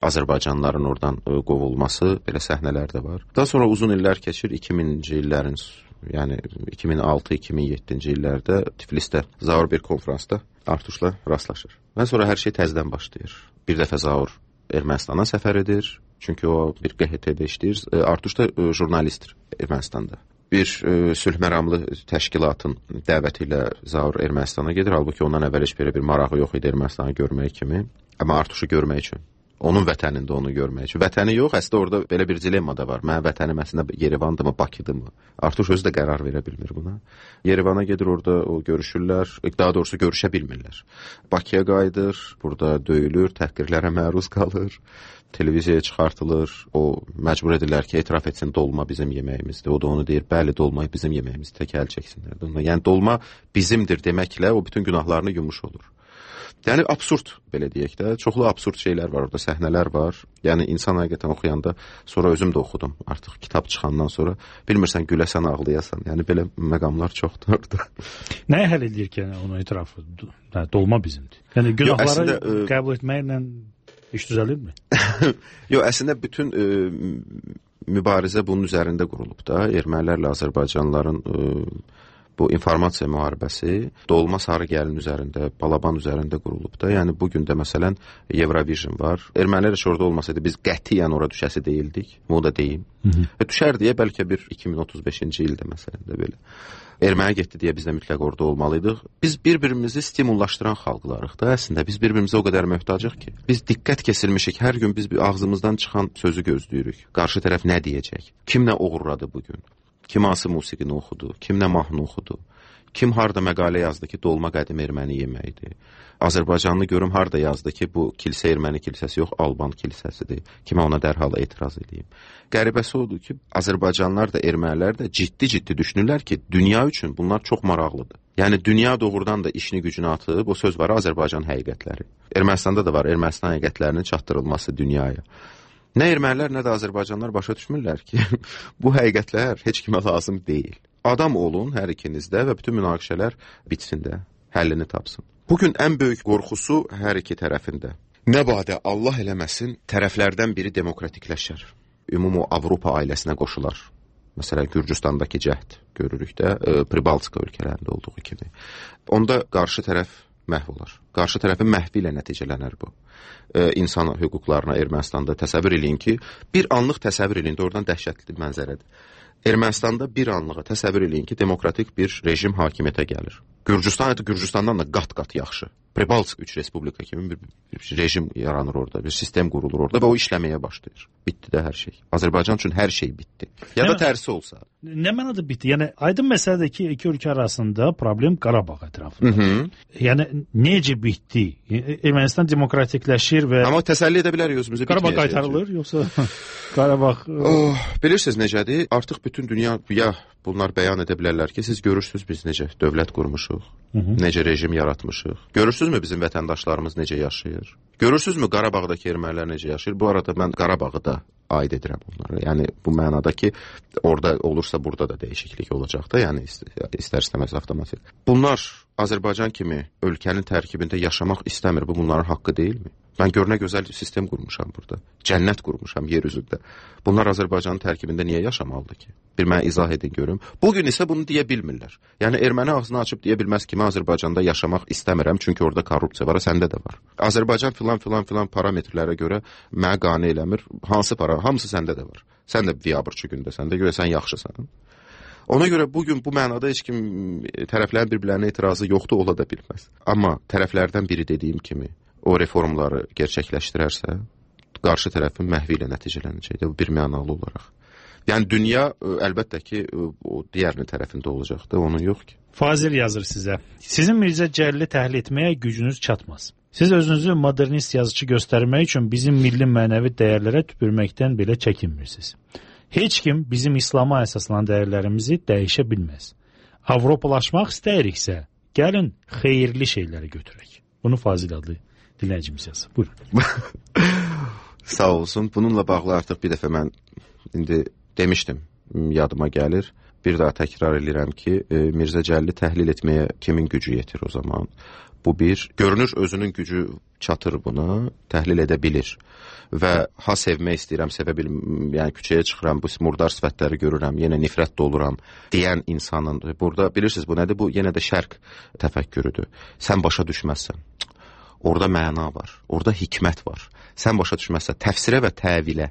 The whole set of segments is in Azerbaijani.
Azərbaycanlıların oradan qovulması, belə səhnələr də var. Daha sonra uzun illər keçir, 2000-ci illərin, yəni 2006-2007-ci illərdə Tiflisdə Zaur bir konfransda Artuşla rastlaşır. Və sonra hər şey təzədən başlayır. Bir dəfə Zaur Ermənistana səfər edir, çünki o bir QHT-də işləyir. Artuş da jurnalistdir Ermənistanda. Bir sülh məramlı təşkilatın dəvəti ilə Zaur Ermənistana gedir. Halbuki ondan əvvəl heç bir marağı yox idi Ermənistanı görmək kimi. Amma Artuşu görmək üçün, onun vətənində onu görmək üçün. Vətəni yox, əslində orada belə bir dilemma da var. Mənim vətənim əslində Yerevandırmı, Bakıdırmı? Artuş özü də qərar verə bilmir buna. Yerevana gedir, orada o görüşürlər, daha doğrusu görüşə bilmirlər. Bakıya qayıdır, burada döyülür, təhqirlərə məruz qalır. Televiziyaya çıxartılır, o məcbur edirlər ki, etiraf etsin, dolma bizim yeməyimizdir. O da onu deyir, bəli, dolma bizim yeməyimizdir, tək əl çəksinlər. Yəni dolma bizimdir deməklə o bütün günahlarını yumuş olur. Yəni absurd, belə deyək də, çoxlu absurd şeylər var orada, səhnələr var. Yəni insan həqiqətən oxuyanda, sonra özüm də oxudum, artıq kitab çıxandan sonra, bilmirsən, güləsən, ağlayasan. Yəni belə məqamlar çoxdur orada. Nəyə həll edir ki, onu etiraf dolma bizimdir? Yəni günahları qəbul etməklə iş düzəlirmi? Yox, əslində bütün mübarizə bunun üzərində qurulub da. Ermənilərlə Azərbaycanlıların bu informasiya müharibəsi dolma sarı gəlin üzərində, Balaban üzərində qurulub da. Yəni bugün də məsələn Eurovision var. Ermənilər heç orada olmasaydı biz qətiyyən ora düşəsi deyildik. Bunu da deyim. Düşər deyə bəlkə bir 2035-ci ildə məsələn də belə. Erməniyə getdi deyə biz də mütləq orada olmalıydıq. Biz bir-birimizi stimullaşdıran xalqlarıq da əslində. Biz bir-birimizə o qədər möhtacıq ki. Biz diqqət kesilmişik. Hər gün biz ağzımızdan çıxan sözü gözləyirik. Qarşı tərəf nə deyəcək? Kim nə oğurladı bugün? Kim hansı musiqini oxudu? Kim nə mahnı oxudu? Kim harda məqalə yazdı ki, dolma qədim erməni yeməkdir? Azərbaycanlı görüm harda yazdı ki, bu kilsə erməni kilsəsi yox, Alban kilsəsidir. Kimə ona dərhal etiraz edeyim. Qəribəsi odur ki, Azərbaycanlılar da, ermənilər də ciddi düşünürlər ki, dünya üçün bunlar çox maraqlıdır. Yəni dünya doğrudan da işini gücünü atıb, o söz var, Azərbaycan həqiqətləri. Ermənistanda da var, Ermənistan həqiqətlərinin çatdırılması dünyaya. Nə ermənilər, nə də Azərbaycanlılar başa düşmürlər ki, bu həqiqətlər heç kimə lazım deyil. Adam olun hər ikinizdə və bütün münaqişələr bitsin də, həllini tapsın. Bugün ən böyük qorxusu hər iki tərəfində. Nə badə Allah eləməsin, tərəflərdən biri demokratikləşər. Ümumi Avropa ailəsinə qoşular. Məsələn, Gürcüstandakı cəhd görürük də, Pribaltika ölkələrində olduğu kimi. Onda qarşı tərəf məhv olar. Qarşı tərəfin məhvi ilə nəticələnər bu. İnsan hüquqlarına Ermənistanda təsəvvür eləyin ki, bir anlıq təsəvvür eləyin, oradan dəhşətli mənzərədir. Ermənistanda bir anlığa təsəvvür eləyin ki, demokratik bir rejim hakimiyyətə gəlir. Gürcüstandan da qat-qat yaxşı. Pribalsk 3 respublika kimi bir rejim yaranır orada, bir sistem qurulur orada və o işləməyə başlayır. Bitdi də hər şey. Azərbaycan üçün hər şey bitdi. Ya da tərsi olsa. Nə mənada bitdi? Yəni aydın məsələdir ki, iki ölkə arasında problem Qarabağ ətrafında. Yəni necə bitdi? Ermənistan demokratikləşir və amma təsəlli edə bilərik özümüzü. Qarabağ qaytarılır yoxsa Qarabağ bilirsiniz necədir? Artıq bütün dünya bunlar bəyan edə bilərlər ki, siz görürsünüz biz necə dövlət qurmuşuq, necə rejim yaratmışıq. Görürsünüzmü bizim vətəndaşlarımız necə yaşayır? Görürsünüzmü Qarabağdakı ermənilər necə yaşayır? Bu arada mən Qarabağı da aid edirəm onlara. Yəni bu mənada ki, orada olursa burada da dəyişiklik olacaq da, yəni istər-istəməz avtomatik. Bunlar Azərbaycan kimi ölkənin tərkibində yaşamaq istəmir. Bu bunların haqqı deyilmi? Mən gör nə gözəl sistem qurmuşam burada. Cənnət qurmuşam yer üzündə. Bunlar Azərbaycanın tərkibində niyə yaşamalıdır ki? Bir mənə izah edin görüm. Bugün isə bunu deyə bilmirlər. Yəni erməni ağzını açıb deyə bilməz ki, mən Azərbaycanda yaşamaq istəmirəm, çünki orada korrupsiya var, səndə də var. Azərbaycan filan parametrlərə görə mənə qane eləmir. Hansı para? Hamısı səndə də var. Sən də biabırçı gündəsən də, görə sən yaxşısan. Ona görə bugün bu mənada heç kim tərəflərin bir-birlərinə etirazı yoxdur, ola da bilməz. Amma tərəflərdən biri dediyim kimi o reformları gerçəkləşdirərsə, qarşı tərəfin məhvi ilə nəticələnəcək də bu bir mənalı olaraq. Yəni dünya əlbəttə ki, o digərinin tərəfində olacaq da, onun yox ki. Fazil yazır sizə. Sizin Mirzə Cəlili təhlil etməyə gücünüz çatmaz. Siz özünüzü modernist yazıcı göstərmək üçün bizim milli mənəvi dəyərlərə tüpürməkdən belə çəkinmirsiniz. Heç kim bizim İslama əsaslanan dəyərlərimizi dəyişə bilməz. Avropalaşmaq istəyiriksə, gəlin xeyirli şeyləri götürək. Bunu Fazil adlı dinləyicimiz yazır. Buyurun. Sağ olsun. Bununla bağlı artıq bir dəfə mən indi demişdim, yadıma gəlir. bir daha təkrar edirəm ki, Mirzə Cəlili təhlil etməyə kimin gücü yetir o zaman? Bu bir, görünür özünün gücü çatır buna, təhlil edə bilir. Və ha sevmək istəyirəm, sevə bilmirəm, yəni küçəyə çıxıram, bu murdar sifətləri görürəm, yenə nifrət doluram deyən insanın, burada bilirsiniz bu nədir? Bu yenə də şərq təfəkkürüdür. Sən başa düşməzsən. Orada məna var, orada hikmət var. Sən başa düşməzsən, təfsirə və təvilə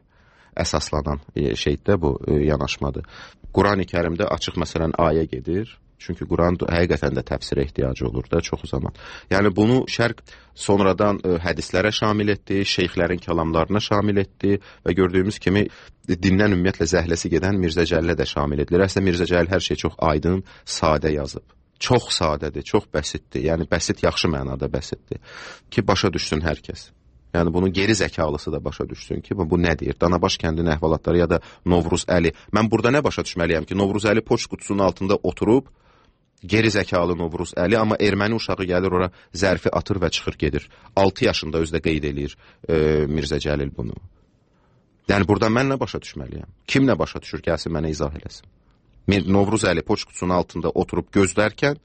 əsaslanan şeydə bu yanaşmadır. Qurani Kərimdə açıq məsələn ayə gedir. Çünki Quran həqiqətən də təfsirə ehtiyacı olur da çox zaman. Yəni bunu şərq sonradan hədislərə şamil etdi, şeyxlərin kəlamlarına şamil etdi və gördüyümüz kimi dindən ümumiyyətlə zəhləsi gedən Mirzə Cəlilə də şamil edilir. Əslində Mirzə Cəlil hər şey çox aydın, sadə yazıb. Çox sadədir, çox bəsitdir. Yəni bəsit yaxşı mənada bəsitdir ki, başa düşsün hər kəs. Yəni bunu geri zəkalısı da başa düşsün ki, bu nə deyir? Danabaş kəndinin əhvalatları ya da Novruz Əli. Mən burada nə başa düşməliyəm ki, Novruz Əli poçt qutusunun altında oturub, geri zəkalı Novruz Əli, amma erməni uşağı gəlir ora zərfi atır və çıxır gedir. 6 yaşında özdə qeyd eləyir Mirzə Cəlil bunu. Yəni burada mən nə başa düşməliyəm? Kim nə başa düşür? Gəlsin mənə izah eləsin. Novruz Əli poçt qutusunun altında oturub gözlərkən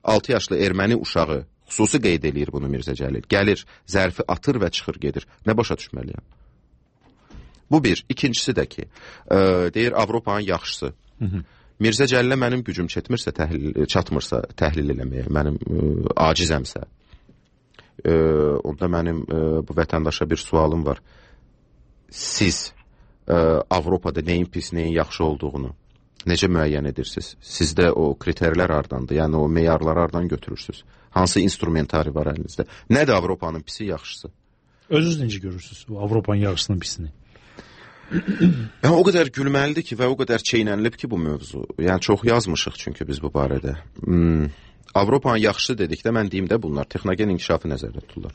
6 yaşlı erməni uşağı xüsusi qeyd eləyir bunu Mirzə Cəlil. Gəlir, zərfi atır və çıxır gedir. Nə başa düşməliyəm? Bu bir. İkincisi də ki, deyir Avropanın yaxşısı. Mirzə Cəlilə mənim gücüm çatmırsa təhlil eləməyə, mənim acizəmsə, onda mənim bu vətəndaşa bir sualım var. Siz Avropada neyin pis, neyin yaxşı olduğunu necə müəyyən edirsiniz? Sizdə o kriterlər hardandır? Yəni o meyarları hardan götürürsünüz? Hansı instrumentari var əlinizdə? Nədir Avropanın pisi, yaxşısı? Özünüz necə görürsünüz o Avropanın yaxşısının pisini? Yəni o qədər gülməlidir ki və o qədər çeynənilib ki bu mövzu. Yəni çox yazmışıq çünki biz bu barədə. Avropanın yaxşısı dedikdə mən deyim də bunlar texnogen inkişafı nəzərdə tutulur.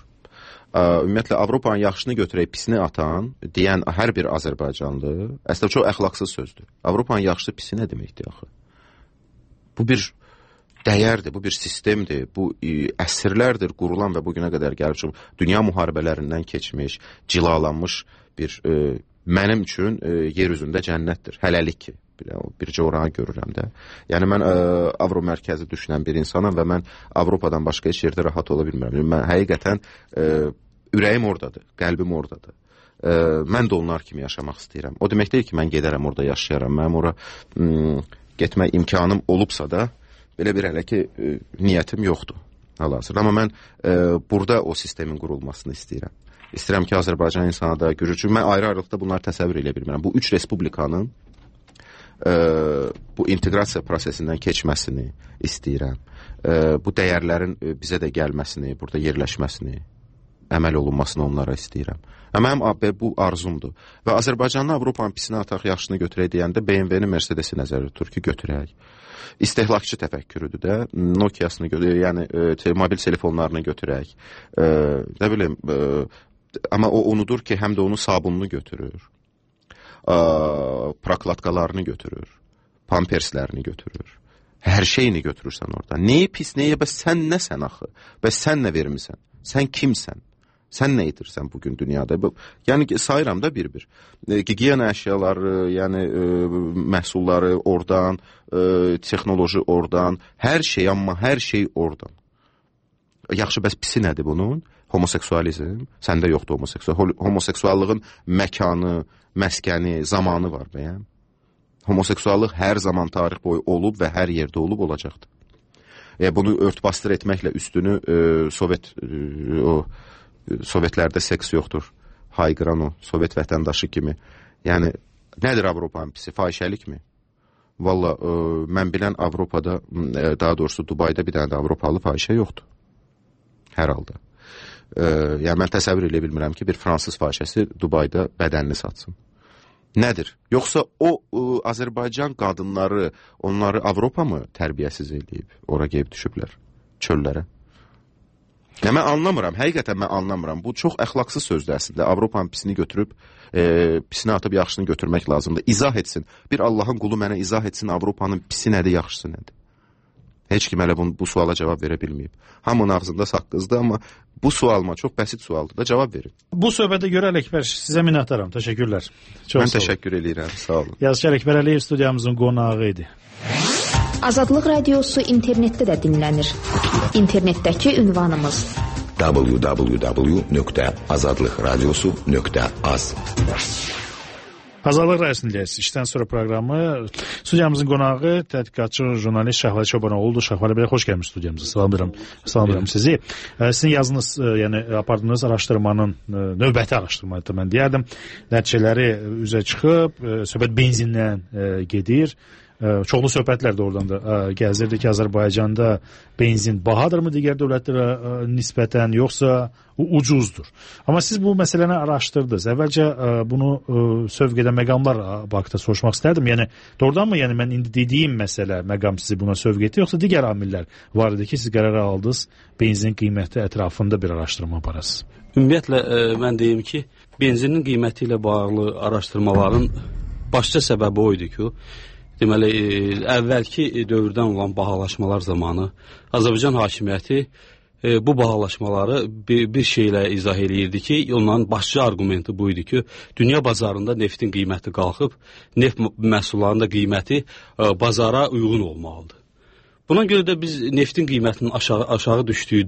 Ümumiyyətlə Avropanın yaxşısını götürək pisini atan deyən hər bir Azərbaycanlı əslində çox əxlaqsız sözdür. Avropanın yaxşısı pisi nə deməkdir axı? Bu bir dəyərdir, bu bir sistemdir, bu əsrlərdir qurulan və bugünə qədər gəlib dünya müharibələrindən keçmiş, cilalanmış bir mənim üçün yer üzündə cənnətdir. Hələlik ki, bircə oranı görürəm də. Yəni mən Avro mərkəzi düşünən bir insanam və mən Avropadan başqa heç yerdə rahat ola bilmirəm. Mən həqiqətən ürəyim oradadır, qəlbim oradadır. Mən də onlar kimi yaşamaq istəyirəm. O demək deyil ki, mən gedərəm orada yaşayaram. Mənim ora getmək imkanım olubsa da belə bir hələ ki niyyətim yoxdur. Hal-hazırda. Amma mən burada o sistemin qurulmasını istəyirəm. İstəyirəm ki, Azərbaycan insana da gürür. Çünki mən ayrı-ayrılıqda bunları təsəvvür edə bilmirəm. Bu üç respublikanın bu inteqrasiya prosesindən keçməsini istəyirəm. Bu dəyərlərin bizə də gəlməsini, burada yerləşməsini, əməl olunmasını onlara istəyirəm. Mənim bu arzumdur. Və Azərbaycanlı Avropanın pisini ataq, yaxşısını götürək deyəndə BMW-ni, Mercedes-i nəzərdə tutur ki, götürək. İstehlakçı təfəkkürüdür də, Nokia-sını götürək, yəni mobil telefonlarını götürək. Nə bilim, amma o unudur ki, həm də onun sabununu götürür. Prokladkalarını götürür, pamperslərini götürür, hər şeyini götürürsən orada. Neyi pis, neyə, bəs sən nəsən axı? Bəs sən nə vermirsən? Sən kimsən? Sən nə edirsən bugün dünyada? Yəni sayıram da bir-bir. Gigiyena əşyaları, yəni məhsulları oradan, texnoloji oradan, hər şey, amma hər şey oradan. Yaxşı, bəs pisi nədir bunun? Homoseksualizm, səndə yoxdur homoseksuallığın məkanı, məskəni, zamanı var bəyəm. Homoseksuallıq hər zaman tarix boyu olub və hər yerdə olub olacaqdır. Bunu örtbasdır etməklə üstünü Sovetlərdə seks yoxdur, hayqıran o, Sovet vətəndaşı kimi. Yəni, nədir Avropanın pisi? Fahişəlikmi? Valla, mən bilən Avropada, daha doğrusu Dubayda bir dənə də Avropalı fahişə yoxdur. Hər halda. Yəni, mən təsəvvür edə bilmirəm ki, bir fransız fahişəsi Dubayda bədənini satsın. Nədir? Yoxsa o Azərbaycan qadınları, onları Avropa mı tərbiyəsiz eləyib? Ora qeyb düşüblər çöllərə. Yəni, mən anlamıram, həqiqətən mən anlamıram. Bu çox əxlaqsız sözdür əslində. Avropanın pisini götürüb, pisini atıb yaxşısını götürmək lazımdır. İzah etsin. Bir Allahın qulu mənə izah etsin Avropanın pisi nədir, yaxşısı nədir? Heç kim hələ bu suala cavab verə bilməyib. Hamının ağzında saqqızdır, amma bu sualıma çox bəsit sualdır da cavab verin. Bu söhbətə görə Ələkbər sizə minnətdaram. Təşəkkürlər. Mən təşəkkür edirəm. Sağ olun. Yazıçı Ələkbər Əliyev studiyamızın qonağı idi. Azadlıq Radiosu internetdə də dinlənir. İnternetdəki ünvanımız www.azadlıqradiosu.az. Azadlıq Radiosu'ndayız. İşten sonra programı studiyamızın qonağı tədqiqatçı jurnalist Şahvali Çobanoğlu'dur. Şahvali Bey, hoş gelmiş studiyamıza. Salamlayıram sizi. Sizin yazınız, yəni apardığınız araşdırmanın növbəti araşdırmaydı mən deyərdim. Nəticələri üzə çıxıb, söhbət benzindən gedir. Çoxlu söhbətlər də oradan da gəzirdi ki, Azərbaycanda benzin bahadırmı digər dövlətlərə nisbətən, yoxsa ucuzdur? Amma siz bu məsələni araşdırdınız. Əvvəlcə bunu sövq edən məqamlar haqqında soruşmaq istərdim. Yəni doğrudan mı, yəni mən indi dediyim məsələ, məqam sizi buna sövq etdi, yoxsa digər amillər var idi ki, siz qərar aldınız benzin qiyməti ətrafında bir araşdırma aparasınız? Ümumiyyətlə mən deyim ki, benzinin qiyməti ilə bağlı araşdırmaların başlıca səbəbi o idi ki, deməli, əvvəlki dövrdən olan bahalaşmalar zamanı Azərbaycan hakimiyyəti bu bahalaşmaları bir şeylə izah eləyirdi ki, onların başlıca arqumenti bu idi ki, dünya bazarında neftin qiyməti qalxıb, neft məhsullarının da qiyməti bazara uyğun olmalıdır. Buna görə də biz neftin qiymətinin aşağı düşdüyü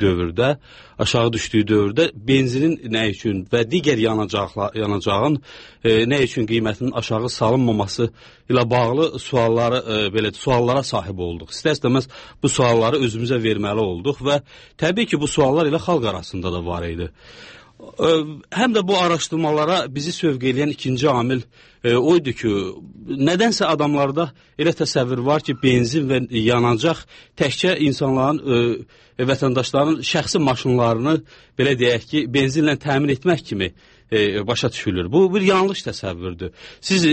dövrdə benzinin nə üçün və digər yanacağın nə üçün qiymətinin aşağı salınmaması ilə bağlı suallara sahib olduq. İstər-istəməz bu sualları özümüzə verməli olduq və təbii ki, bu suallar ilə xalq arasında da var idi. Həm də bu araşdırmalara bizi sövq edən ikinci amil oydu ki, nədənsə adamlarda elə təsəvvür var ki, benzin və yanacaq təkcə insanların, vətəndaşların şəxsi maşınlarını, belə deyək ki, benzinlə təmin etmək kimi başa düşülür. Bu bir yanlış təsəvvürdür. Siz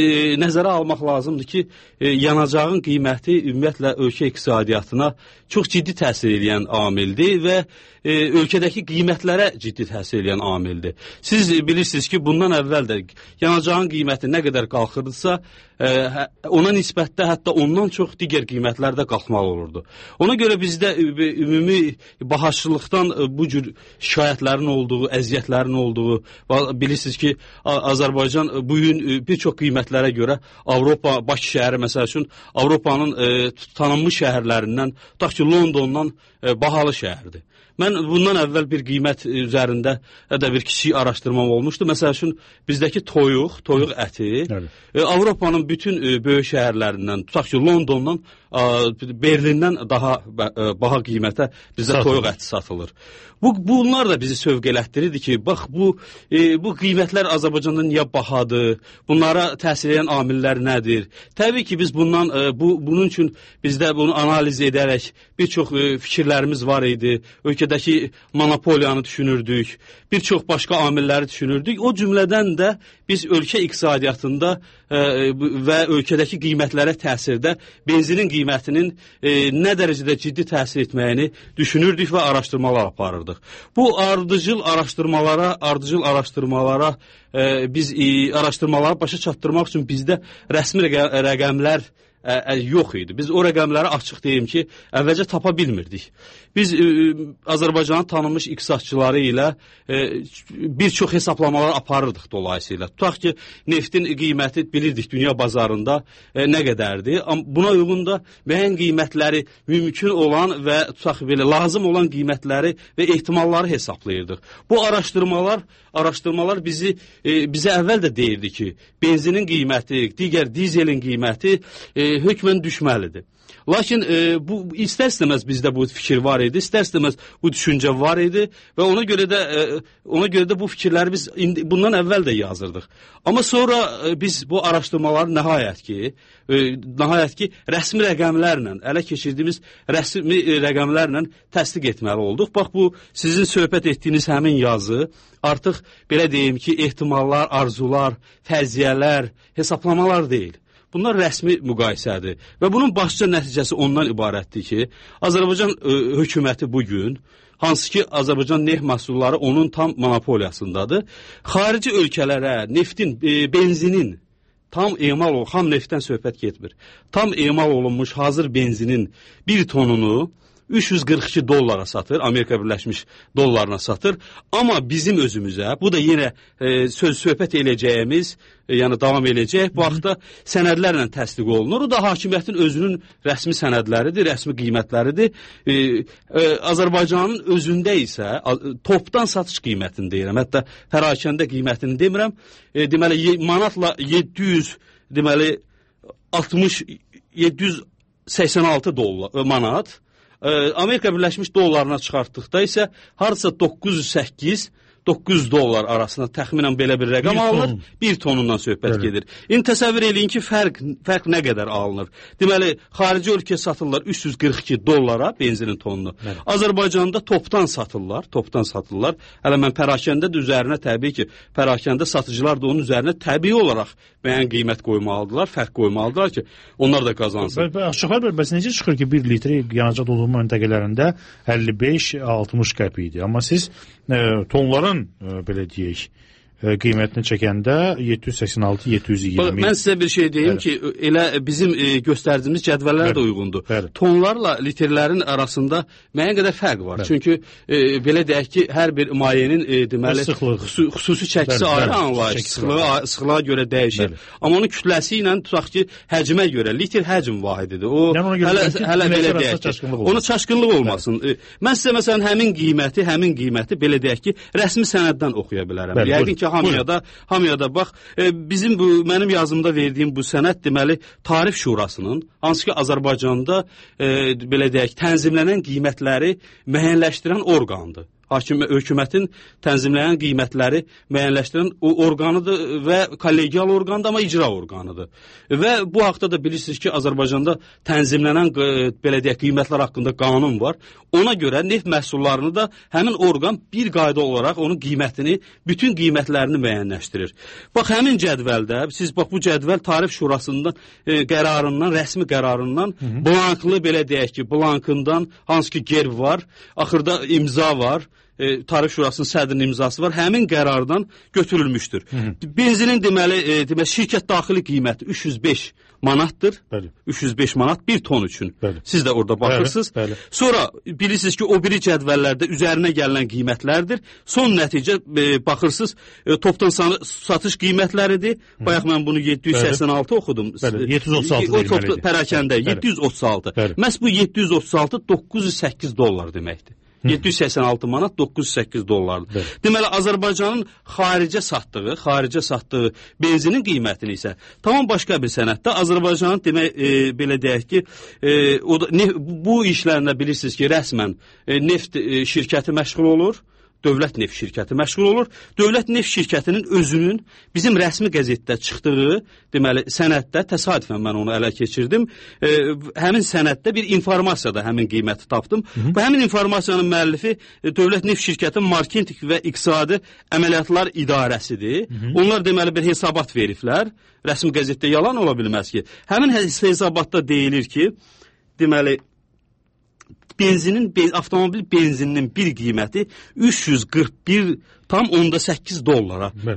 nəzərə almaq lazımdır ki, yanacağın qiyməti ümumiyyətlə ölkə iqtisadiyyatına çox ciddi təsir edən amildir və ölkədəki qiymətlərə ciddi təsir edən amildir. Siz bilirsiniz ki, bundan əvvəl də yanacağın qiyməti nə qədər qalxırdısa, ona nisbətdə hətta ondan çox digər qiymətlər də qalxmalı olurdu. Ona görə bizdə ümumi bahaçılıqdan bu cür şikayətlərin olduğu, əziyyətlərin olduğu, bilirsiniz ki, Azərbaycan bugün bir çox qiymətlərə görə Avropa, Bakı şəhəri məsəl üçün Avropanın tanınmış şəhərlərindən, tutaq ki, Londondan bahalı şəhərdir. Mən bundan əvvəl bir qiymət üzərində də bir kiçik araşdırmam olmuşdu. Məsəl üçün, bizdəki toyuq əti Avropanın bütün böyük şəhərlərindən, tutaq ki, Londondan, Berlindən daha baha qiymətə bizdə toyuq əti satılır. Bunlar da bizi sövq elətdirirdi ki, bax, bu qiymətlər Azərbaycanda niyə bahadır, bunlara təsir edən amillər nədir? Təbii ki, biz bunun üçün bizdə bunu analiz edərək bir çox fikirlərimiz var idi, ölkədəki monopoliyanı düşünürdük, bir çox başqa amilləri düşünürdük. O cümlədən də biz ölkə iqtisadiyyatında və ölkədəki qiymətlərə təsirdə benzinin qiymətinin nə dərəcədə ciddi təsir etməyini düşünürdük və araşdırmalar aparırdıq. Bu ardıcıl araşdırmalara biz araşdırmaları başa çatdırmaq üçün bizdə rəsmi rəqəmlər yox idi. Biz o rəqəmləri açıq deyim ki, əvvəlcə tapa bilmirdik. Biz Azərbaycanın tanınmış iqtisadçıları ilə bir çox hesablamalar aparırdıq dolayısıyla. Tutaq ki, neftin qiyməti bilirdik dünya bazarında nə qədərdir. Buna uyğun da müəyyən qiymətləri mümkün olan və tutaq belə lazım olan qiymətləri və ehtimalları hesablayırdıq. Bu araşdırmalar bizə əvvəl də deyirdi ki, benzinin qiyməti, digər dizelin qiyməti hökmən düşməlidir. Lakin istər-istəməz bizdə bu fikir var idi, istər-istəməz bu düşüncə var idi və ona görə də bu fikirləri biz bundan əvvəl də yazırdıq. Amma sonra biz bu araşdırmaları nəhayət ki, rəsmi rəqəmlərlə, ələ keçirdiyimiz rəsmi rəqəmlərlə təsdiq etməli olduq. Bax, bu sizin söhbət etdiyiniz həmin yazı artıq belə deyim ki, ehtimallar, arzular, fərziyyələr, hesablamalar deyil. Bunlar rəsmi müqayisədir və bunun başlıca nəticəsi ondan ibarətdir ki, Azərbaycan hökuməti bugün, hansı ki, Azərbaycan neft məhsulları onun tam monopoliyasındadır, xarici ölkələrə neftin, benzinin tam emal ol, xam neftdən söhbət getmir. Tam emal olunmuş hazır benzinin bir tonunu $342 satır, Amerika Birləşmiş dollarına satır. Amma bizim özümüzə, bu da yenə söhbət eləyəcəyimiz, yəni davam eləyəcək, bu haqda sənədlərlə təsdiq olunur. O da hakimiyyətin özünün rəsmi sənədləridir, rəsmi qiymətləridir. Azərbaycanın özündə isə topdan satış qiymətini deyirəm, hətta pərakəndə qiymətini demirəm. Deməli, manatla 786 manat, Amerika Birləşmiş dollarına çıxartdıqda isə harca $908-$900 arasında təxminən belə bir rəqam alınır. Bir tonundan söhbət gedir. İndi təsəvvür eləyin ki, fərq nə qədər alınır? Deməli, xarici ölkəyə satırlar $342 benzinin tonunu. Azərbaycanda topdan satırlar. Hələ mən pərakəndə də üzərinə təbii ki, pərakəndə satıcılar da onun üzərinə təbii olaraq müəyyən qiymət qoymalıdırlar, fərq qoymalıdırlar ki, onlar da qazansın. Şoför bəy, bəs necə çıxır ki, 1 litri yanacaq doldurma məntəqələrində 55-60 qəpik idi. Amma siz tonların, belə deyək, qiymətini çəkəndə 786-720. Mən sizə bir şey deyim ki, elə bizim göstərdiyimiz cədvəllər də uyğundur. Tonlarla litrlərin arasında müəyyən qədər fərq var. Çünki belə deyək ki, hər bir mayenin deməli xüsusi çəkisi ayrı anlayış, sıxlığa görə dəyişir. Amma onun kütləsi ilə tutaq ki, həcmə görə litr həcm vahididir. O hələ belə deyək ki, onun çaşqınlıq olmasın. Mən sizə məsələn həmin qiyməti belə deyək ki, rəsmi sənəddən oxuya bilərəm. Yəqin ki, hamıya da bax, mənim yazımda verdiyim bu sənəd deməli Tarif Şurasının, hansı ki Azərbaycanda belə deyək, tənzimlənən qiymətləri müəyyənləşdirən orqandır. Hökumətin tənzimləyən qiymətləri müəyyənləşdirən orqanıdır və kollegial orqandır, amma icra orqanıdır. Və bu haqda da bilirsiniz ki, Azərbaycanda tənzimlənən belə deyək, qiymətlər haqqında qanun var. Ona görə neft məhsullarını da həmin orqan bir qayda olaraq onun qiymətini, bütün qiymətlərini müəyyənləşdirir. Bax, həmin cədvəldə, siz bax bu cədvəl Tarif Şurasından qərarından, rəsmi qərarından, blanklı belə deyək ki, blankından hansı ki gerb var, axırda imza var, Tarif Şurasının sədrinin imzası var, həmin qərardan götürülmüşdür. Benzinin deməli şirkət daxili qiyməti 305 manatdır. 305 manat bir ton üçün. Siz də orada baxırsınız. Sonra bilirsiniz ki, o biri cədvəllərdə üzərinə gələn qiymətlərdir. Son nəticə baxırsınız, topdan satış qiymətləridir. Bayaq mən bunu 786 oxudum. 736 deməlidir. Pərakəndə 736. Məhz bu 736 $908 deməkdir. 786 manat $908. Deməli, Azərbaycanın xaricə satdığı benzinin qiymətini isə tamam başqa bir sənəddə Azərbaycanın belə deyək ki, bu işlərlə bilirsiniz ki, rəsmən neft şirkəti məşğul olur. Dövlət neft şirkəti məşğul olur. Dövlət neft şirkətinin özünün bizim rəsmi qəzetdə çıxdığı, deməli, sənəddə, təsadüfən mən onu ələ keçirdim, həmin sənəddə bir informasiyada həmin qiyməti tapdım. Bu həmin informasiyanın müəllifi Dövlət neft şirkətinin marketinq və iqtisadi əməliyyatlar idarəsidir. Onlar deməli bir hesabat veriblər. Rəsmi qəzetdə yalan ola bilməz ki. Həmin hesabatda deyilir ki, deməli, avtomobil benzininin bir qiyməti $341,8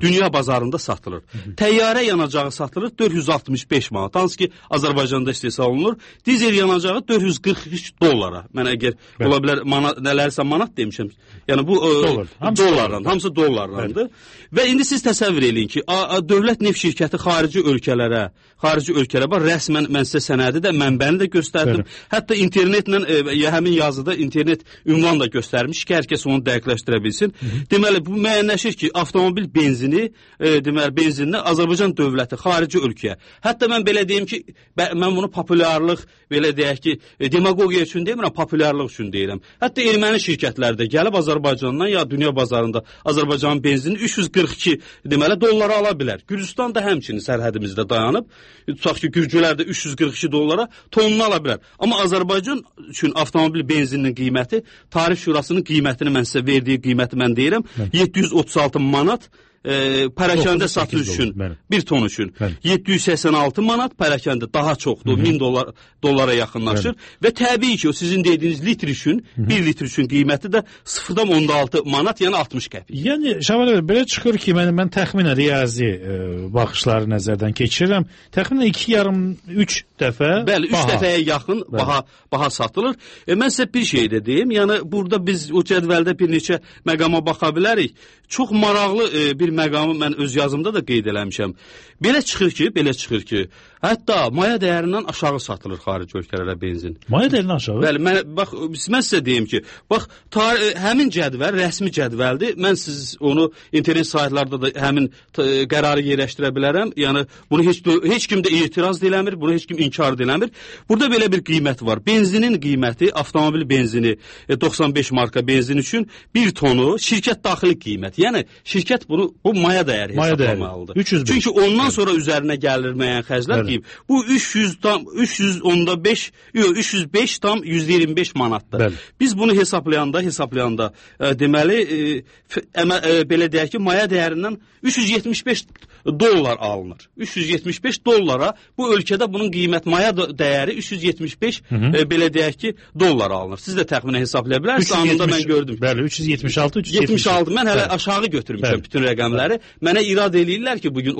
dünya bazarında satılır. Təyyarə yanacağı satılır 465 manat. Hansı ki, Azərbaycanda istehsal olunur. Dizel yanacağı $443. Mən əgər ola bilər nələrsə manat demişəm. Yəni bu dollardan, hamısı dollardandır. Və indi siz təsəvvür eləyin ki, dövlət neft şirkəti xarici ölkələrə var. Rəsmən mən sizə sənədi də, mənbəni də göstərdim. Hətta internetlə, həmin yazıda internet ünvan da göstərmiş ki, hər kəs onu dəqiqləşdirə bilsin. Deməli, bu müəyyənləşir ki, avtomobil benzinini Azərbaycan dövləti xarici ölkəyə. Hətta mən belə deyim ki, mən bunu populyarlıq, belə deyək ki, demagogiya üçün demirəm, populyarlıq üçün deyirəm. Hətta erməni şirkətləri də gəlib Azərbaycandan ya dünya bazarında Azərbaycanın benzini $342 dollara ala bilər. Gürcüstan da həmçinin sərhədimizdə dayanıb, tutaq ki, gürcülər də $342 tonunu ala bilər. Amma Azərbaycan üçün avtomobil benzininin qiyməti, Tarif Şurasının qiymətini mən sizə verdiyi qiyməti mən deyirəm, 736 manat pərakəndə satış üçün, bir ton üçün 786 manat, pərakəndə daha çoxdur, 1000 dollara yaxınlaşır və təbii ki, o sizin dediyiniz litr üçün, 1 litr üçün qiyməti də 0,6 manat, yəni 60 qəpik. Yəni, Şaban bəy, belə çıxır ki, mən təxminən riyazi baxışları nəzərdən keçirirəm. Təxminən 2,5-3 dəfə bəli, 3 dəfəyə yaxın baha satılır. Mən sizə bir şey də deyim, yəni burada biz o cədvəldə bir neçə məqama baxa bilərik. Çox maraqlı bir məqamı mən öz yazımda da qeyd eləmişəm. Belə çıxır ki, hətta maya dəyərindən aşağı satılır xarici ölkələrə benzin. Maya dəyərindən aşağı? Bəli, mən sizə deyim ki, bax, həmin cədvəl rəsmi cədvəldir. Mən siz onu internet saytlarda da həmin qərarı yerləşdirə bilərəm. Yəni, bunu heç kim də etiraz eləmir, bunu heç kim inkar eləmir. Burada belə bir qiymət var. Benzinin qiyməti, avtomobil benzini 95 marka benzin üçün 1 tonu şirkət daxili qiymət. Yəni, şirkət bu maya dəyəri hesablamalıdır. 305. Çünki ondan sonra üzərinə gəlirməyən xərclər deyib, bu 305,125 manatdır. Bəli. Biz bunu hesablayanda deməli, belə deyək ki, maya dəyərindən 375 dollar alınır. 375 dollara bu ölkədə bunun qiymət maya dəyəri 375 belə deyək ki, dollar alınır. Siz də təxminən hesablaya bilərsiniz. Anında mən gördüm. Bəli, 376. Mən hələ aşağı götürmüşəm bütün rəqəmləri. Mənə irad eləyirlər ki, bugün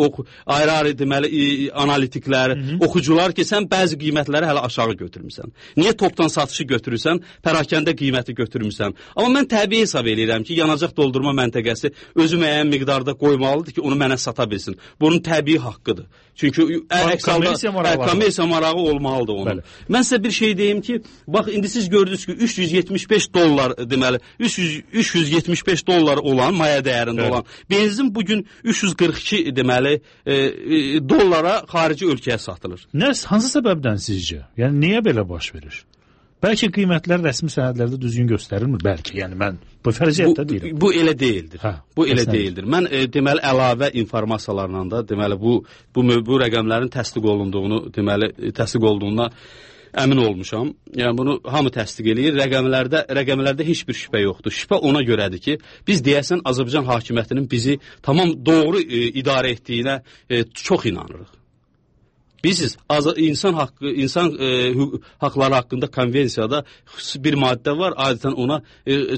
ayrı-ayrı deməli analitiklər, oxucular ki, sən bəzi qiymətləri hələ aşağı götürmüsən. Niyə topdan satışı götürürsən, pərakəndə qiyməti götürmüsən? Amma mən təbii hesab eləyirəm ki, yanacaq doldurma məntəqəsi özü müəyyən miqdarda qoymalıdır ki, onu mənə sata bilsin. Bunun təbii haqqıdır. Çünki kommersiya marağı olmalıdır onun. Bəli. Mən sizə bir şey deyim ki, bax, indi siz gördünüz ki, 375 dollar deməli, 375 dollar olan, maya dəyərində olan benzin bugün 342 deməli dollara xarici ölkəyə satılır. Hansı səbəbdən sizcə? Yəni, niyə belə baş verir? Bəlkə qiymətlər rəsmi sənədlərdə düzgün göstərilmir, bəlkə. Yəni, mən bu fərziyyətdə deyirəm. Bu elə deyildir. Bu elə deyildir. Mən deməli, əlavə informasiyalarla da deməli, bu rəqəmlərin təsdiq olunduğuna əmin olmuşam. Yəni, bunu hamı təsdiq eləyir. Rəqəmlərdə heç bir şübhə yoxdur. Şübhə ona görədir ki, biz deyəsən Azərbaycan hakimiyyətinin bizi tamam doğru idarə etdiyinə çox inanırıq. Bilirsiniz, insan haqları haqqında konvensiyada xüsusi bir maddə var, adətən ona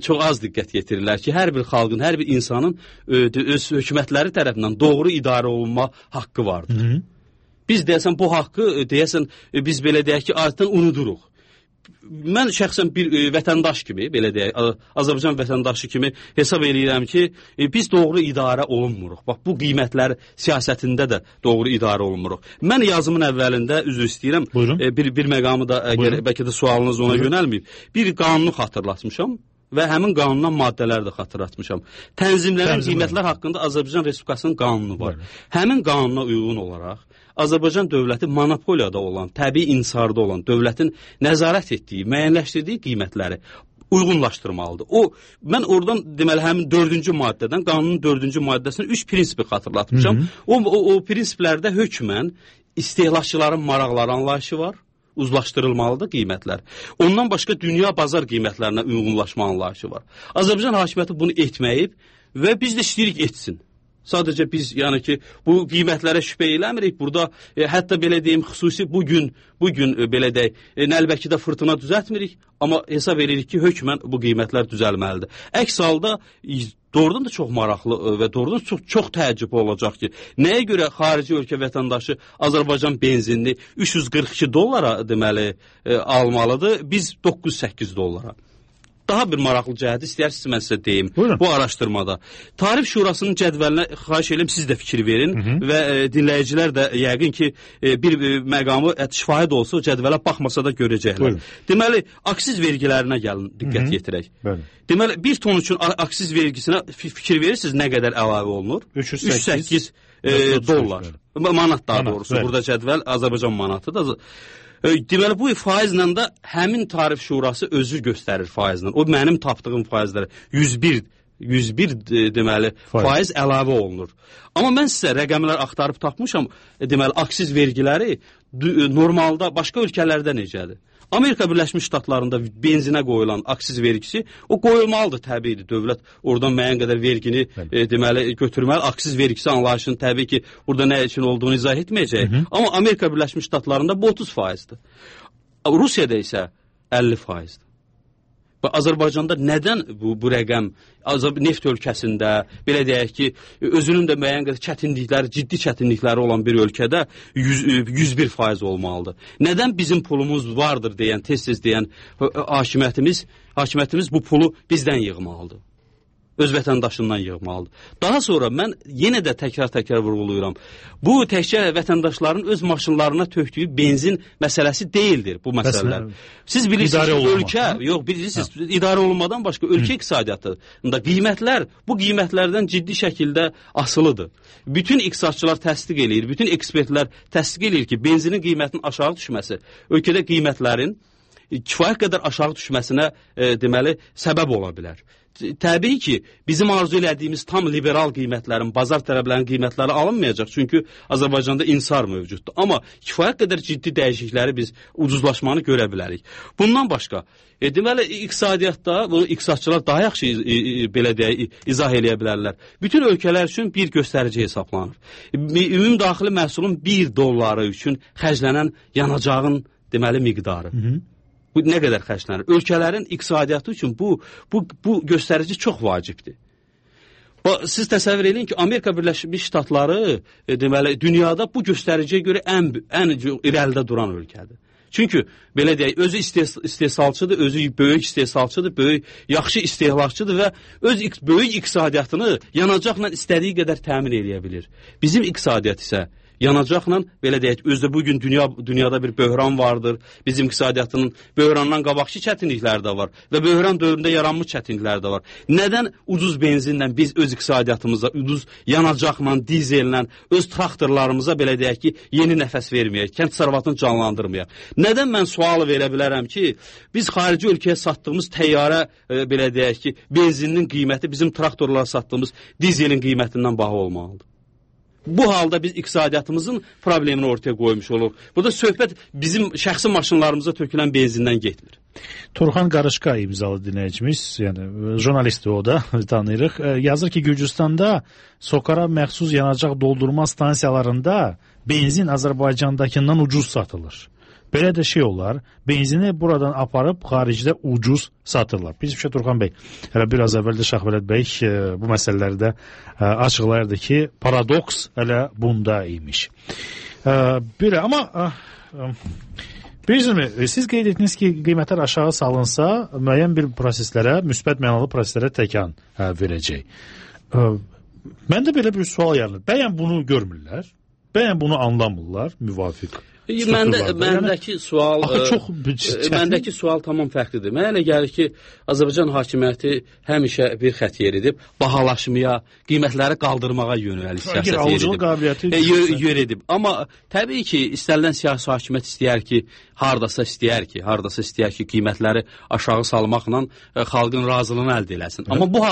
çox az diqqət yetirirlər ki, hər bir xalqın, hər bir insanın öz hökumətləri tərəfindən doğru idarə olunma haqqı vardır. Biz deyəsən bu haqqı, biz belə deyək ki, adətən unuduruq. Mən şəxsən bir vətəndaş kimi, belə deyək, Azərbaycan vətəndaşı kimi hesab eləyirəm ki, biz doğru idarə olunmuruq. Bax, bu qiymətlər siyasətində də doğru idarə olunmuruq. Mən yazımın əvvəlində, üzr istəyirəm, bir məqamı da, bəlkə də sualınız ona yönəlməyib, bir qanunu xatırlatmışam və həmin qanundan maddələri də xatırlatmışam. Tənzimlənən qiymətlər haqqında Azərbaycan Respublikasının qanunu var. Həmin qanuna uyğun olaraq Azərbaycan dövləti monopoliyada olan, təbii insarda olan dövlətin nəzarət etdiyi, müəyyənləşdirdiyi qiymətləri uyğunlaşdırmalıdır. Mən oradan deməli həmin 4-cü maddədən, qanunun 4-cü maddəsinin 3 prinsipi xatırlatmışam. O prinsiplərdə hökmən istehlakçıların maraqları anlayışı var. Uzlaşdırılmalıdır qiymətlər. Ondan başqa dünya bazar qiymətlərinə uyğunlaşma anlayışı var. Azərbaycan hakimiyyəti bunu etməyib və biz də istəyirik etsin. Sadəcə biz, yəni ki, bu qiymətlərə şübhə eləmirik. Burada, hətta belə deyim, xüsusi bugün belə deyək, Nəlbəkidə fırtına düzəltmirik, amma hesab edirik ki, hökmən bu qiymətlər düzəlməlidir. Əks halda, doğrudan da çox maraqlı və doğrudan çox təəccüb olacaq ki, nəyə görə xarici ölkə vətəndaşı Azərbaycan benzinini 342 dollara deməli almalıdır, biz 908 dollara. Daha bir maraqlı cəhəti istəyirsiniz, mən sizə deyim. Buyurun. Bu araşdırmada. Tarif Şurasının cədvəlinə xahiş edirəm, siz də fikir verin və dinləyicilər də yəqin ki, bir məqamı şahid olsa, cədvələ baxmasa da görəcəklər. Deməli, aksiz vergilərinə gəlin, diqqət yetirək. Deməli, 1 ton üçün aksiz vergisinə fikir verirsiniz, nə qədər əlavə olunur? 308 dollar. Manat daha doğrusu. Burada cədvəl Azərbaycan manatıdır. Deməli, bu faizlə də həmin Tarif Şurası özü göstərir faizlə. O, mənim tapdığım faizlərə 101 deməli, faiz əlavə olunur. Amma mən sizə rəqəmlər axtarıb tapmışam, deməli, aksiz vergiləri normalda başqa ölkələrdə necədir? Amerika Birləşmiş Ştatlarında benzinə qoyulan aksiz vergisi o qoyulmalıdır, təbiidir. Dövlət oradan müəyyən qədər vergini deməli götürməli. Aksiz vergisi anlayışının təbii ki, burada nə üçün olduğunu izah etməyəcək. Amma Amerika Birləşmiş Ştatlarında bu 30%'dir. Rusiyada isə 50%'dir. Və Azərbaycanda nədən bu rəqəm neft ölkəsində, belə deyək ki, özünün də müəyyən qədər çətinlikləri, ciddi çətinlikləri olan bir ölkədə 101% olmalıdır? Nədən bizim pulumuz vardır deyən, tez-tez deyən hakimiyyətimiz bu pulu bizdən yığmalıdır? Öz vətəndaşından yığmalıdır. Daha sonra mən yenə də təkrar vurğulayıram. Bu təkcə vətəndaşların öz maşınlarına tökdüyü benzin məsələsi deyildir bu məsələlər. Siz bilirsiniz ki, ölkə, yox bilirsiniz, idarə olunmadan başqa ölkə iqtisadiyyatında qiymətlər bu qiymətlərdən ciddi şəkildə asılıdır. Bütün iqtisadçılar təsdiq eləyir, bütün ekspertlər təsdiq eləyir ki, benzinin qiymətinin aşağı düşməsi ölkədə qiymətlərin kifayət qədər aşağı düşməsinə deməli səbəb ola bilər. Təbii ki, bizim arzu elədiyimiz tam liberal qiymətlərin, bazar tələblərinin qiymətləri alınmayacaq. Çünki Azərbaycanda insar mövcuddur. Amma kifayət qədər ciddi dəyişiklikləri biz ucuzlaşmanı görə bilərik. Bundan başqa, deməli, iqtisadiyyatda, bunu iqtisadçılar daha yaxşı belə deyək, izah eləyə bilərlər. Bütün ölkələr üçün bir göstərici hesablanır. Ümumdaxili məhsulun $1 üçün xərclənən yanacağın deməli miqdarı. Bu nə qədər xərclənir? Ölkələrin iqtisadiyyatı üçün bu göstərici çox vacibdir. Siz təsəvvür edin ki, Amerika Birləşmiş Ştatları deməli dünyada bu göstəriciyə görə ən irəlidə duran ölkədir. Çünki belə deyək, özü istehsalçıdır, özü böyük istehsalçıdır, yaxşı istehlakçıdır və öz böyük iqtisadiyyatını yanacaqla istədiyi qədər təmin edə bilir. Bizim iqtisadiyyat isə yanacaqla, belə deyək, özdə bugün dünyada bir böhran vardır. Bizim iqtisadiyyatının böhrandan qabaqçı çətinlikləri də var və böhran dövründə yaranmış çətinlikləri də var. Nədən ucuz benzinlə biz öz iqtisadiyyatımıza, ucuz yanacaqla, dizellə, öz traktorlarımıza, belə deyək ki, yeni nəfəs verməyək, kənd təsərrüfatını canlandırmayaq? Nədən mən sual verə bilərəm ki, biz xarici ölkəyə satdığımız təyyarə, belə deyək ki, benzinin qiyməti bizim traktorlara satdığımız dizelin qiymətindən baha olmalıdır? Bu halda biz iqtisadiyyatımızın problemini ortaya qoymuş oluruq. Burada söhbət bizim şəxsi maşınlarımıza tökülən benzindən getmir. Turxan Qarışqa imzalı dinləyicimiz, yəni jurnalistdir o da, tanıyırıq. Yazır ki, Gürcüstanda Sokara məxsus yanacaq doldurma stansiyalarında benzin Azərbaycandakından ucuz satılır. Belə də şey olar, benzini buradan aparıb xaricdə ucuz satırlar. Bizim şey Turxan bəy, hələ biraz əvvəldə Şahvələt bəy bu məsələlərdə açıqlayırdı ki, paradoks hələ bunda imiş. Belə, amma bilirsiniz, siz qeyd etdiniz ki, qiymətlər aşağı salınsa, müəyyən bir proseslərə, müsbət mənalı proseslərə təkan verəcək. Məndə belə bir sual yaranır. Bəyən bunu görmürlər, bəyən bunu anlamırlar, müvafiq. Məndəki sual tamam fərqlidir. Mənə elə gəlir ki, Azərbaycan hakimiyyəti həmişə bir xətt yeridib, bahalaşmaya, qiymətləri qaldırmağa yönəlik siyasət yeridib. Amma təbii ki, istənilən siyasi hakimiyyət istəyər ki, qiymətləri aşağı salmaqla xalqın razılığını əldə eləsin. Amma bu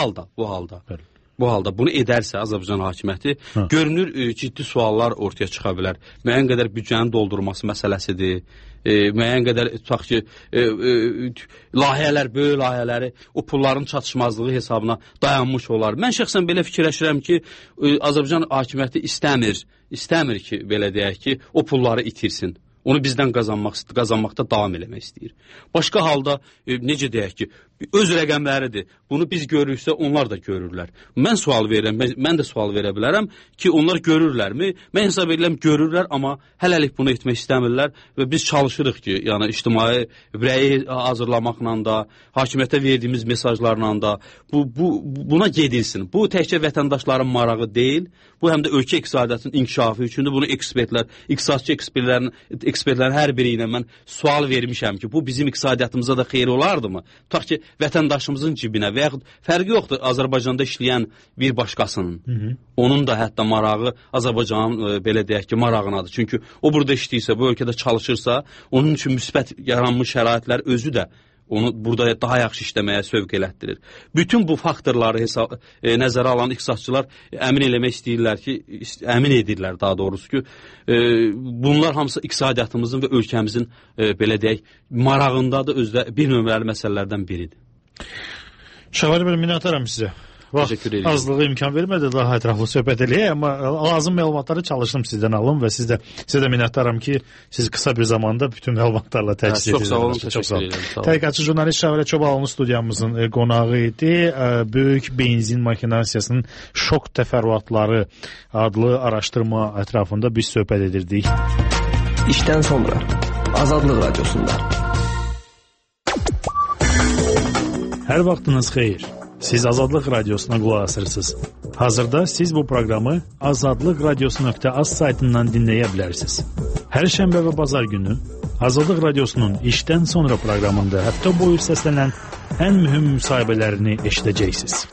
halda bunu edərsə Azərbaycan hakimiyyəti, görünür ciddi suallar ortaya çıxa bilər. Müəyyən qədər büdcənin doldurması məsələsidir. Müəyyən qədər tutaq ki, böyük layihələri o pulların çatışmazlığı hesabına dayanmış olar. Mən şəxsən belə fikirləşirəm ki, Azərbaycan hakimiyyəti istəmir ki, belə deyək ki, o pulları itirsin. Onu bizdən qazanmaqda davam eləmək istəyir. Başqa halda, necə deyək ki, öz rəqəmləridir. Bunu biz görürüksə, onlar da görürlər. Mən də sual verə bilərəm ki, onlar görürlərmi? Mən hesab edirəm, görürlər, amma hələlik bunu etmək istəmirlər və biz çalışırıq ki, yəni ictimai rəyi hazırlamaqla da, hakimiyyətə verdiyimiz mesajlarla da buna gedilsin. Bu təkcə vətəndaşların marağı deyil, bu həm də ölkə iqtisadiyyatının inkişafı üçündür. Bunu iqtisadçı ekspertlərin hər biri ilə mən sual vermişəm ki, bu bizim iqtisadiyyatımıza da xeyir olardımı? Tutaq ki, vətəndaşımızın cibinə və yaxud fərqi yoxdur Azərbaycanda işləyən bir başqasının. Onun da hətta marağı Azərbaycanın belə deyək ki, marağınadır. Çünki o burada işləyirsə, bu ölkədə çalışırsa, onun üçün müsbət yaranmış şəraitlər özü də onu burada daha yaxşı işləməyə sövq elətdirir. Bütün bu faktorları nəzərə alan iqtisadçılar əmin eləmək istəyirlər ki, əmin edirlər daha doğrusu ki, bunlar hamısı iqtisadiyyatımızın və ölkəmizin belə deyək, marağındadır, özdə bir nömrəli məsələlərdən biridir. Şəvəli bəy, minnətdaram sizə. Vaxt azlığı imkan vermədi daha ətraflı söhbət eləyək, amma lazım məlumatları çalışdım sizdən alım və sizə də minnətdaram ki, siz qısa bir zamanda bütün məlumatlarla təchiz edirsiniz. Çox sağ olun, təşəkkür edirəm. Tədqiqatçı jurnalist Şəvəli Çobalıoğlu studiyamızın qonağı idi. Böyük benzin maşinasiyasının şok təfərrüatları adlı araşdırma ətrafında biz söhbət edirdik. İşdən sonra Azadlıq Radiosunda. Hər vaxtınız xeyir. Siz Azadlıq Radiosuna qulaq asırsınız. Hazırda siz bu proqramı azadlıqradiosu.az saytından dinləyə bilərsiniz. Hər şənbə və bazar günü Azadlıq Radiosunun işdən sonra proqramında həftə boyu səslənən ən mühüm müsahibələrini eşidəcəksiniz.